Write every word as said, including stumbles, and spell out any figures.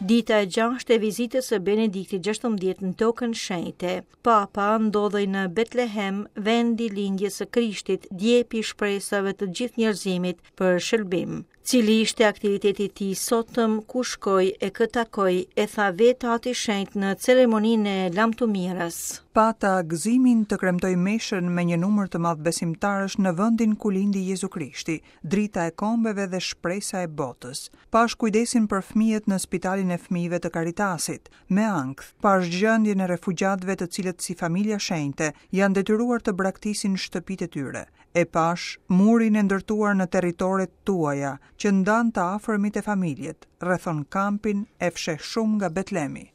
Dita e gjashtë e vizitës së Benediktit gjashtëmbëdhjetë në Tokën Shenjte. Papa ndodhej në Betlehem, vendi i lindjes së Krishtit, djepi i shpresave të gjithë njerëzimit për shëlbim. Cili ishte aktiviteti i tij sotëm, ku shkoi e kë takoi, e tha vetë Ati Shenjt në ceremoninë e lamtumirës. Pata gëzimin të kremtoj meshën me një numër të madh besimtarësh në vendin ku lindi Jezu Krishti, drita e kombeve dhe shpresa e botës. Pash kujdesin për fëmijët në spitalin e fëmijëve të Caritasit. Me ankth, pash gjendjen e refugjatëve të cilët si familja shenjte janë detyruar të braktisin shtëpitë e tyre. E pash murin e ndërtuar në territoret tuaja, që ndan të afërmit e familjet, rrethon kampin e fsheh shumë nga Betlemi.